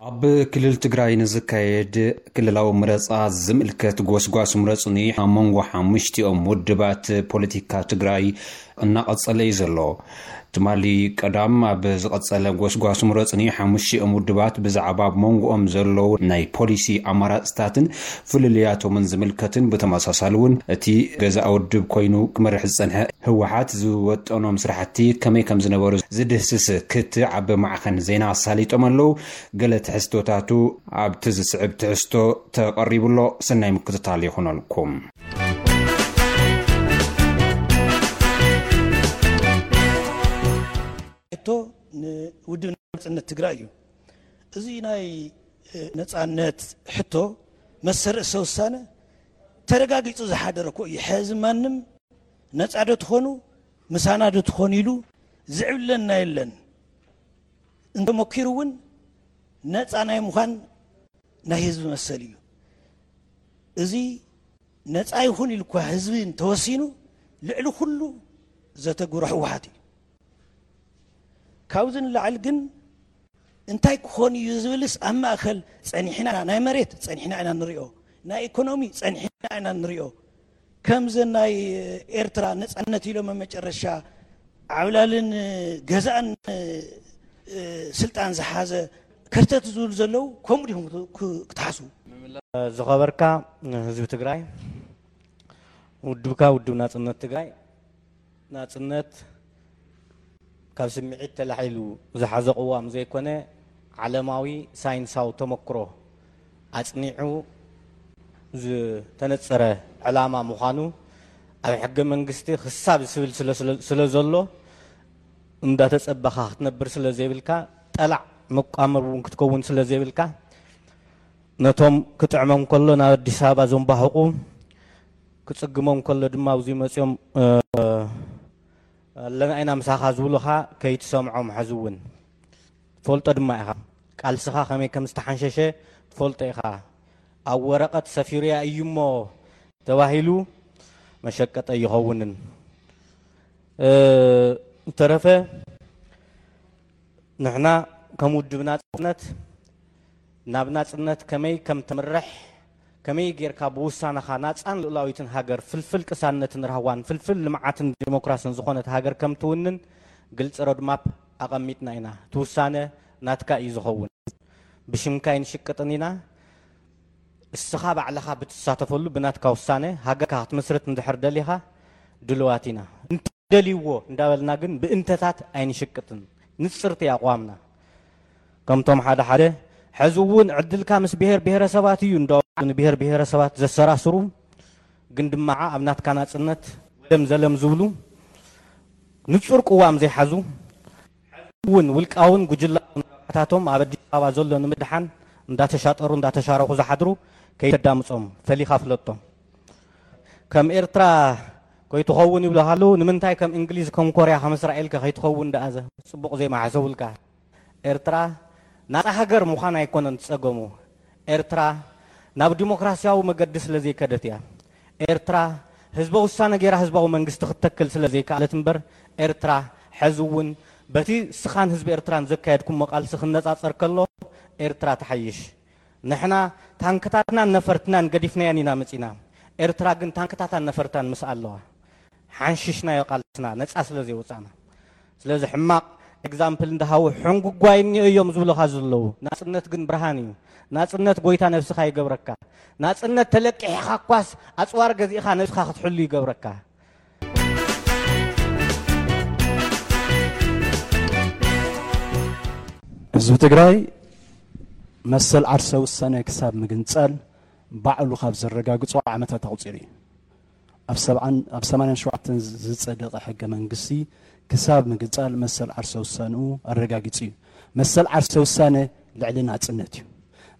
ኣብ ክልል ትግራይ ንዝካየድ ክልላዊ ምረጻ ዝምልከት ጎስጓስ ምረጹኒ ኣብ መንጎ ሓሙሽቲኦም ውድባት ፖለቲካ ትግራይ እናቐጸለ እዩ ዘሎ። ትማሊ ቀዳም ኣብ ዝቐጸለ ጎስጓስ ምረጹኒ ሓሙሽቲኦም ውድባት ብዛዕባ ኣብ መንጎኦም ዘለዉ ናይ ፖሊሲ ኣማራጽታትን ፍልልያቶምን ዝምልከትን ብተመሳሳሊ እውን እቲ ገዛእ ውድብ ኮይኑ ክመርሕ ዝጸንሐ ህወሓት ዝወጠኖም ስራሕቲ ከመይ ከም ዝነበሩ ዝድህስስ ክትዕ ኣብ ማዕኸን ዜና ኣሳሊጦም ኣለዉ። ገለ ትሕዝቶታቱ ኣብቲ ዝስዕብ ትሕዝቶ ተቐሪቡ ኣሎ። ሰናይ ምክትታል ይኹነልኩም። ሕቶ ንውድብ ናጽነት ትግራይ እዩ። እዚ ናይ ነጻነት ሕቶ መሰል ርእሰ ውሳነ ተረጋጊጹ ዝሓደረ እኮ እዩ። ሕዚ ማንም ነጻ ዶ ትኾኑ ምሳና ዶ ትኾኑ ኢሉ ዝዕብለና የለን። እንተመኪሩ እውን ነጻ ናይ ምዃን ናይ ህዝቢ መሰል እዩ። እዚ ነጻ ይኹን ኢሉ እኳ ህዝቢ እንተወሲኑ ልዕሊ ኩሉ ዘተግብሮ ህወሓት እዩ። ካብዚ ንላዕሊ ግን እንታይ ክኾን እዩ ዝብልስ ኣብ ማእከል ጸኒሕና ናይ መሬት ጸኒሕና ኢና ንሪኦ፣ ናይ ኢኮኖሚ ጸኒሕና ኢና ንሪኦ። ከምዘን ናይ ኤርትራ ነጻነት ኢሎም ኣብ መጨረሻ ዓብላልን ገዛእን ስልጣን ዝሓዘ ከርተት ዝብሉ ዘለዉ ከምኡ ዲኹም ክትሓስቡ? ዝኸበርካ ህዝቢ ትግራይ፣ ውድብካ ውድብ ናጽነት ትግራይ ናጽነት ካብ ስምዒት ተላዒሉ ዝሓዞ ቅዋም ዘይኮነ ዓለማዊ ሳይንሳዊ ተመክሮ ኣጽኒዑ ዝተነጸረ ዕላማ ምዃኑ ኣብ ሕገ መንግስቲ ክሳብ ዝብል ስለ ዘሎ እንዳተጸበኻ ክትነብር ስለ ዘይብልካ ጠላዕ መቋመር እውን ክትከውን ስለ ዘይብልካ ነቶም ክጥዕሞም ከሎ ናብ ኣዲስ ኣበባ ዘንባሕቑ ክጽግሞም ከሎ ድማ ኣብዚ መጺኦም ኣለና ኢና ምሳኻ ዝብሉኻ ከይትሰምዖም። ሕዚ እውን ትፈልጦ ድማ ኢኻ፣ ቃልስኻ ከመይ ከም ዝተሓንሸሸ ትፈልጦ ኢኻ። ኣብ ወረቐት ሰፊሩያ እዩ እሞ ተባሂሉ መሸቀጢ ኣይኸውንን። ዝተረፈ ንሕና ከም ውድብ ናጽነት ናብ ናጽነት ከመይ ከም ተምርሕ፣ ከመይ ጌርካ ብውሳነኻ ናጻን ልኡላዊትን ሃገር፣ ፍልፍል ቅሳነትን ራህዋን ፍልፍል ልምዓትን ዲሞክራስን ዝኾነት ሃገር ከም ትውንን ግልጺ ሮድማፕ ኣቐሚጥና ኢና። እቲ ውሳነ ናትካ እዩ ዝኸውን። ብሽምካ ኣይንሽቅጥን ኢና። እስኻ ባዕልኻ ብትሳተፈሉ ብናትካ ውሳነ ሃገርካ ክትምስርት እንድሕር ደሊኻ ድልዋት ኢና። እንተ ደልይዎ እንዳበልና ግን ብእንተታት ኣይንሽቅጥን። ንጽርቲ ኣቋምና። ከምቶም ሓደ ሓደ ሕዚ እውን ዕድልካ ምስ ብሄር ብሄረሰባት እዩ እንዳበሉ ንብሄር ብሄረሰባት ዘሰራስሩ ግን ድማ ኣብ ናትካ ናጽነት ደም ዘለም ዝብሉ ንጹር ቅዋም ዘይሓዙ እውን ውልቃውን ጉጅላውን ረብሓታቶም ኣብ ኣዲስ ኣበባ ዘሎ ንምድሓን እንዳተሻጠሩ እንዳተሻረኹ ዝሓድሩ ከይተዳምጾም ፈሊኻ ፍለጦም። ከም ኤርትራ ከይትኸውን ይብሉኻ ኣለዉ። ንምንታይ ከም እንግሊዝ ከም ኮርያ ከም እስራኤል ከ ከይትኸውን ደኣ ዘ ጽቡቕ ዘይመሓሰቡልካ? ኤርትራ ናጻ ሃገር ምዃን ኣይኮነን ጸገሙ። ኤርትራ ናብ ዲሞክራስያዊ መገዲ ስለ ዘይከደት እያ። ኤርትራ ህዝበ ውሳነ ገይራ ህዝባዊ መንግስቲ ክትተክል ስለ ዘይከኣለት እምበር ኤርትራ ሕዚ እውን በቲ ስኻን ህዝቢ ኤርትራን ዘካየድኩሞ ቃልሲ ክነጻጸር ከሎ ኤርትራ ትሓይሽ። ንሕና ታንክታትናን ነፈርትናን ገዲፍናየን ኢና መጺና። ኤርትራ ግን ታንክታታን ነፈርታን ምስ ኣለዋ ሓንሽሽናዮ ቃልስና ነጻ ስለ ዘይወጻና። ስለዚ ሕማቕ ኤግዛምፕል እንዳሃቡ ሕንጉጓይ እኒኦ እዮም ዝብሉኻ ዘለዉ። ናጽነት ግን ብርሃን እዩ። ናጽነት ጎይታ ነብስኻ ይገብረካ። ናጽነት ተለቂሕኻ እኳስ ኣጽዋር ገዚእኻ ነብስኻ ክትሕሉ ይገብረካ። ህዝቢ ትግራይ መሰል ዓርሰ ውሳነ ክሳብ ምግንጻል ባዕሉ ካብ ዘረጋግጾ ዓመታት ኣቑጺሩ እዩ። ኣብ ሰብዓን ኣብ ሰማንያን ሸውዓተን ዝጸደቐ ሕገ መንግስቲ ክሳብ ምግንጻል መሰል ዓርሰ ውሳንኡ ኣረጋጊጹ እዩ። መሰል ዓርሰ ውሳነ ልዕሊ ናጽነት እዩ።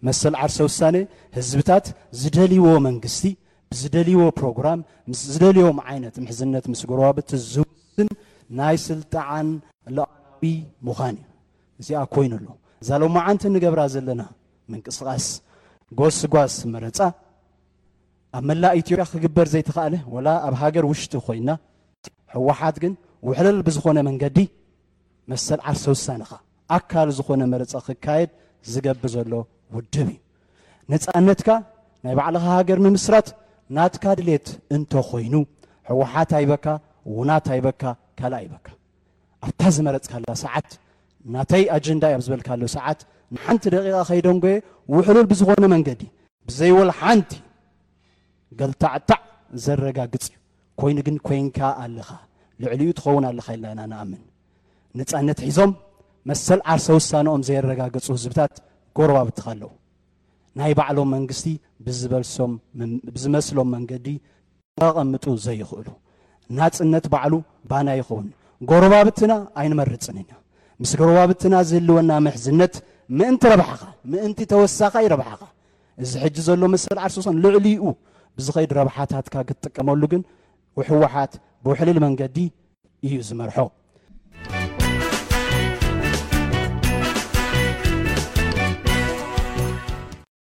መሰል ዓርሰ ውሳነ ህዝብታት ዝደልይዎ መንግስቲ ብዝደልይዎ ፕሮግራም ምስ ዝደልዮም ዓይነት ምሕዝነት ምስ ጎረባብቲ ዝውስን ናይ ስልጣን ሉዓላዊ ምዃን እዩ። እዚኣ ኮይኑ ኣሎ። እዛ ሎማዓንቲ ንገብራ ዘለና ምንቅስቓስ ጎስጓስ መረፃ ኣብ መላእ ኢትዮጵያ ክግበር ዘይተኻእለ ወላ ኣብ ሃገር ውሽጢ ኮይና ህወሓት ግን ውሕልል ብዝኾነ መንገዲ መሰል ዓርሰ ውሳነኻ ኣካል ዝኾነ መረፃ ክካየድ ዝገብር ዘሎ ውድብ እዩ። ነፃነትካ ናይ ባዕልኻ ሃገር ምምስራት ናትካ ድሌት እንተኾይኑ፣ ህወሓት ኣይበካ፣ ውናት ኣይበካ፣ ካልእ ኣይበካ። ኣብታ ዝመረፅካላ ሰዓት፣ ናተይ ኣጀንዳ እዩ ኣብ ዝበልካሉ ሰዓት፣ ንሓንቲ ደቂቓ ከይደንጎየ ውሕሉል ብዝኾነ መንገዲ፣ ብዘይወል ሓንቲ ገልታዕታዕ ዘረጋግፅ እዩ። ኮይኑ ግን ኮይንካ ኣለኻ፣ ልዕሊኡ ትኸውን ኣለኻ ኢልና ኢና ንኣምን። ነፃነት ሒዞም መሰል ዓርሰ ውሳነኦም ዘየረጋገፁ ህዝብታት ጎረባብትኻ ኣለዉ። ናይ ባዕሎም መንግስቲ ብዝበልሶም፣ ብዝመስሎም መንገዲ ከቐምጡ ዘይኽእሉ። ናፅነት ባዕሉ ባና ይኸውን። ጎረባብትና ኣይንመርፅን ኢና። ምስ ጎረባብትና ዝህልወና ምሕዝነት ምእንቲ ረብሓኻ፣ ምእንቲ ተወሳኻይ ረብሓኻ፣ እዚ ሕጂ ዘሎ መሰል ዓርሰ ውሳነ ልዕሊኡ ብዝኸይድ ረብሓታትካ ክትጥቀመሉ ግን ህወሓት ብውሕልል መንገዲ እዩ ዝመርሖ።